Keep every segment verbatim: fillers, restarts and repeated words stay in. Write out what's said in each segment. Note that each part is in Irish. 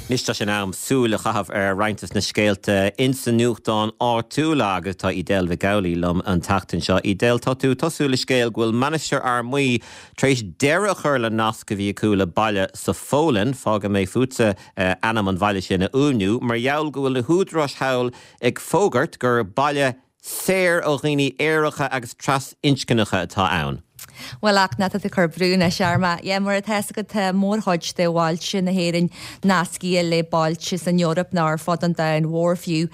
Anois tá sé in am súil a chaitheamh ar roinnt de na scéalta insa nuachtán áitiúla agus tá Edel Mhic Amhlaigh liom an tseachtain seo. Edel tá tú tosú le scéal go bhfuil Mainistir Fhear Maí tar éis deireadh a chur le nasc a bhí acu le baile sa Pholainn fágfaidh mé fútsa uh, ainm an bhaile sin a fhuaimniú, mar gheall go bhfuil na húdaráis thall ag fógairt gur baile saor ó dhaoine aeracha agus trasinscneacha atá ann. Well ach ná tú chur brú na searma. Ie mar atá go tá mórchuid de bhailte na hÉireann nasctha le bailte san Eoraip ná ar fud an domhain mhór fiú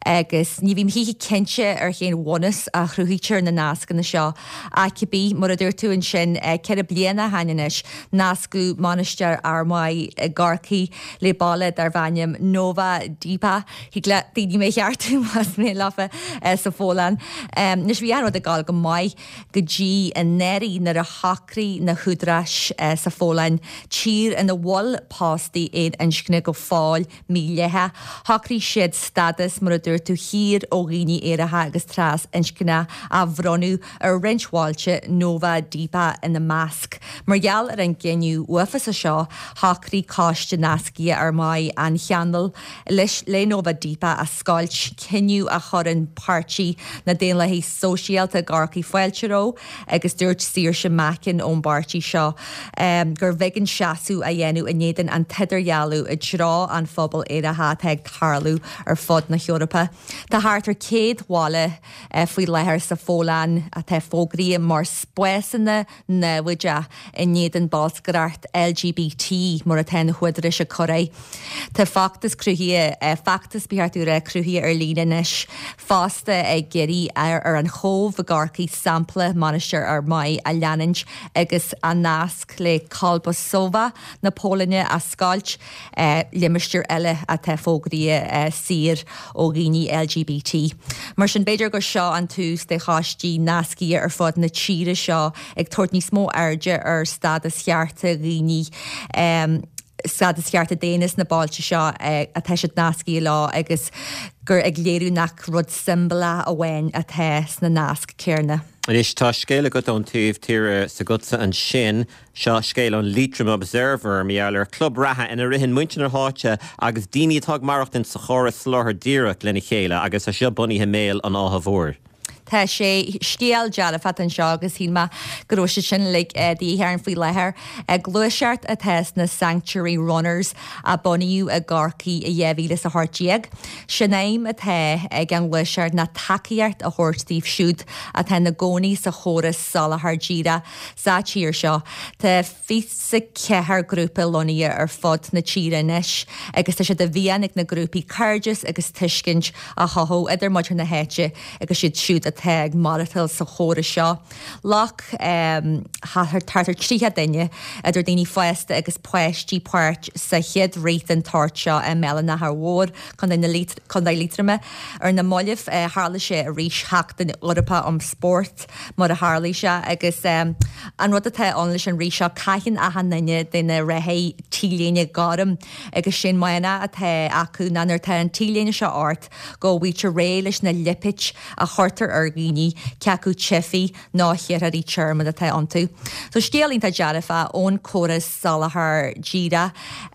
agus ní bhím hihi cinnte ar cén bhunús a chruthaítear na nascanna seo a cibé mar a dúirt tú ansin ceithre bliana ó shin anois nascadh Mainistir Fhear Maí i gCorcaigh le baile darb ainm Nowa Dęba le daoine mé cheartú más mé lofa sa Pholainn. Anois bhí an rud ag gabháil go maith go dtí anuraidh nuair a shocraigh na húdaráis sa Pholainn tír ina bhfuil póstaí aon inscne go fóill mídhleathach. Shocraigh siad stádas mar a dúirt tú saor ó dhaoine aeracha agus trasinscneacha a bhronnadh ar roinnt bhailte Nowa Dęba ina measc. Mar gheall ar an gcinneadh uafásach seo shocraigh coiste nasctha Fhear Maí an ceangal leis le Nowa Dęba a scoilt cinneadh a chuireann Páirtí na Daonlathaí Sóisialta i gCorcaigh fáilte roimh agus dúirt Saoirse Mackin ón bpáirtí seo um, gur b'éigean seasamh a dhéanamh in éadan an t-idirdhealú i dtreo an phobal aeracha atá ag tarlú ar fud na hEorpa. Tá thart ar céad bhaile uh, faoi láthair sa Pholainn atá fógraithe mar spásanna naimhdeacha in éadan bolscaireacht LGBT mar atá na húdaráis ag cur air. Tá feachtas cruthaithe uh, feachtas beartúra cruthaithe ar líne anois fosta ag iarraidh ar, ar an Chóbh i gCorcaigh sampla Mainistir Fhear Maí a leanúint agus an nasc le Kolbuszowa na Polainne a scoilt eh, limistéar eile atá fógraithe eh, saor ó dhaoine LGBT. Mar sin b'fhéidir gur seo an tús de choistí nasctha ar fud na tíre seo ag tabhairt níos mó airde ar stádas chearta dhaoine um, stádas chearta daonna na bailte seo eh, atá siad nasctha leo agus gur ag léiriú nach rud siombalach amháin atá sna nasc céanna. Anois tá scéal agat ón taobh tíre s'agatsa ansin seo scéal ón Leitrim Observer mar ar club reatha ina ritheann muintir na háite agus daoine atá ag maireachtáil sa chóras soláthair dhírigh lena chéile agus tá seo bunaithe i mBéal an Átha Mhóir. Tá sé scéal dearfach anseo agus shíl mé go raibh sé sin le díchearn faoi láthair. Gluaiseacht atá sna Sanctuary Runners a bunaíodh i gCorcaigh i dhá mhíle a hocht déag. Sin aidhm atá ag an ghluaiseacht ná tacaíocht a thabhairt dóibh siúd atá ina gcónaí sa chóras soláthair dhírigh sa tír seo. Tá fiche ceathair grúpa lonnaithe ar fud na tíre anois agus tá sé de mhian ag na grúpaí cairdeas agus tuiscint a chothú idir muintir na háite agus siad siúd atá ag maireachtáil sa chóras seo. Ghlac um, thart ar tríocha duine idir daoine fásta agus páistí páirt sa chéad rith den tsórt seo i mBéal an Átha Mhóir Contae Liatroma ar na mallaibh uh, tharla sé arís Seachtain Eorpach um Spórt mar a tharla sé agus um, an rud atá ann leis an rith seo caitheann achan duine de na reathaithe T-léine gorm agus sin mana atá acu ná nuair atá an T-léine seo ort go bhfuiltear réidh leis na lipéid a chuirtear ar dhaoine cé acu teifigh nó iarrthóirí tearmainn atá iontu. So scéal iontach dearfach ón chóras soláthair dhírigh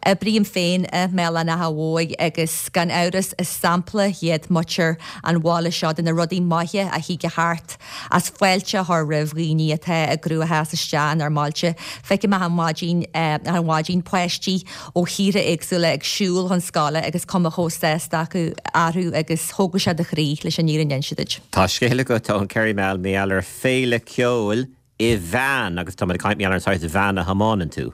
Oibrím féin i mBéal an Átha Mhóir agus gan amhras is sampla iad muintir an bhaile seo de na rudaí maithe a thig thart as fáilte a chur roimh dhaoine atá i gcruachás isteach inár mbailte. Feicim achan mhaidin achan mhaidin páistí ó thíortha éagsúla ag siúl chun scoile agus cuma chomh sásta acu orthu agus thógadh sé do chroí leis an fhírinne a inse duit. Tá scéal agat ón Kerry Mail mar ar féile ceoil i veain agus tá caint ar an saghas veain a thiomáineann tú.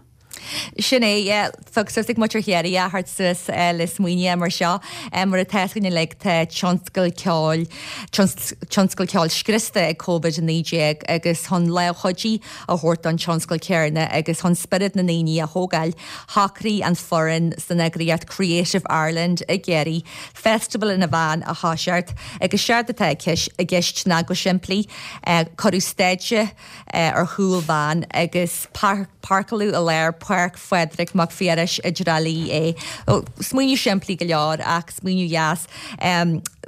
Sin é thug muintir Chiarraí thart suas le smaoineamh mar seo mar atá le tá tionscal ceoil tionscal ceoil scriosta ag Covid a naoi déag agus chun lámh chuidithe a thabhairt don tionscal céanna agus chun spiorad na ndaoine a thógáil shocraigh an foireann san eagraíocht Creative Ireland i gCiarraí Festival in a van a thoiseacht agus séard atá i gceist ná go simplí cuireadh stáitse ar chúl veain agus páirceáladh i lár Páirc Phádraig Mac Phiarais i dTrá Lí é. Smaoineamh simplí go leor ach smaoineamh dheas.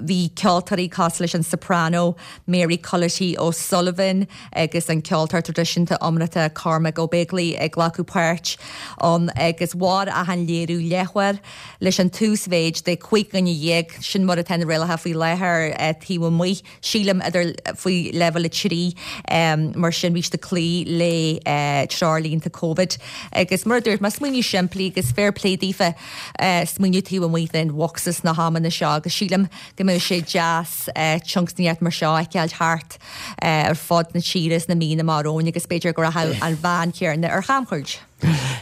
Bhí ceoltóirí cosúil leis an soprano Mary Culloty O'Sullivan agus an ceoltóir traidisiúnta iomráiteach Cormac Ó Beaglaoich ag glacadh páirt ann agus mhair achan léiriú leathuair leis an t-uasmhéid de cúig dhuine dhéag, sin mar atá na rialacha faoi láthair taobh amuigh, sílim idir faoi leibhéal a trí, mar sin bhí siad ag cloí le treoirlínte Covid. Agus mar a dúirt mé, smaoineamh simplí agus fair play daofa smaoineamh taobh amuigh den bhocsa sna hamanna seo agus sílim go mbeadh sé deas tionscnaíocht mar seo a fheiceáil thart ar fud na tíre sna míonna amach romhainn agus b'fhéidir go rachadh an bhean chéanna ar chamchuairt.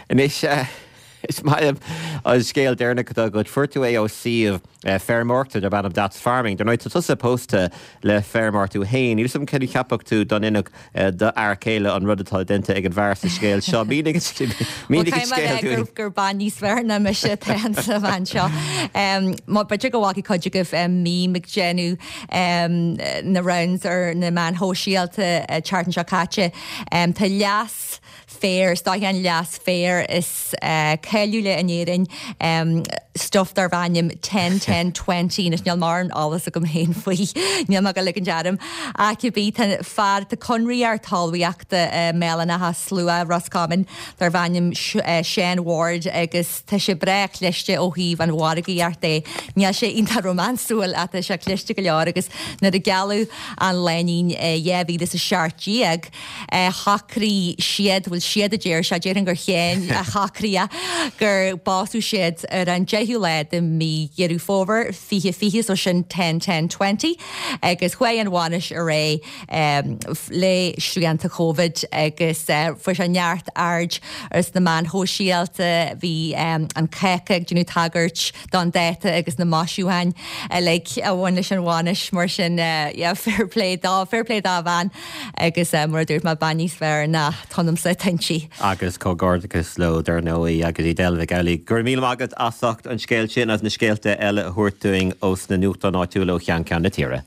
Anois, is maith liom an scéal deireanach atá agat. Fuair tú é ó suíomh feirmeoireachta darb ainm That's Farming. Dar ndóigh, tá tusa pósta le feirmeoir tú féin. Níl 'fhios agam cén a cheapfadh tú dá n-inseodh d'fhear céile an rud atá déanta ag an bhfear sa scéal seo. Mínigh an scéal dúinn. Gur bean níos fearr ná mise atá sa bhean seo. Má b'fhéidir go bhfaca cuid agaibh meme ag déanamh na rounds ar na meáin shóisialta an tseachtain seo caite. Tá leas féir, is dóiche an leas féir is cáiliúla in Éirinn, stuif darb ainm ten ten twenty, anois níl mórán eolas agam féin faoi, níl mé ag dul ag ligean orm, ach cibé, tá fear, tá conraitheoir talmhaíochta i mBéal an Átha Slua, Ros Comáin, darb ainm Seán Ward agus tá sé breá cliste ó thaobh an mhargaíocht de. Níl sé iontach rómánsúil ach tá sé cliste go leor agus nuair a gealladh an lánúin i dhá mhíle is a seacht déag, shocraigh siad, bhuel siad a deir sé, déarfainn gur Sheán a shocraigh é, gur pósadh siad ar an deichiú lá de mhí Dheireadh Fómhair fiche fiche, so sin ten ten twenty, agus chuaigh an bhainis ar aghaidh le srianta Covid agus fuair sé neart aird ar sna meáin shóisialta, bhí an cáca ag déanamh tagairt don dáta agus na maisiúcháin uilig a bhain leis an bhainis, mar sin yeah, fair play dó, fair play dá bhean agus mar a dúirt mé, bean níos fearr ná ionamsa atá inti. Agus comhghairdeachas leo dar ndóigh agus Edel Mhic Amhlaigh. Go raibh míle maith agat as ucht an scéal sin agus na scéalta eile a thabhairt dúinn ós na nuachtáin áitiúla ó cheann ceann na tíre.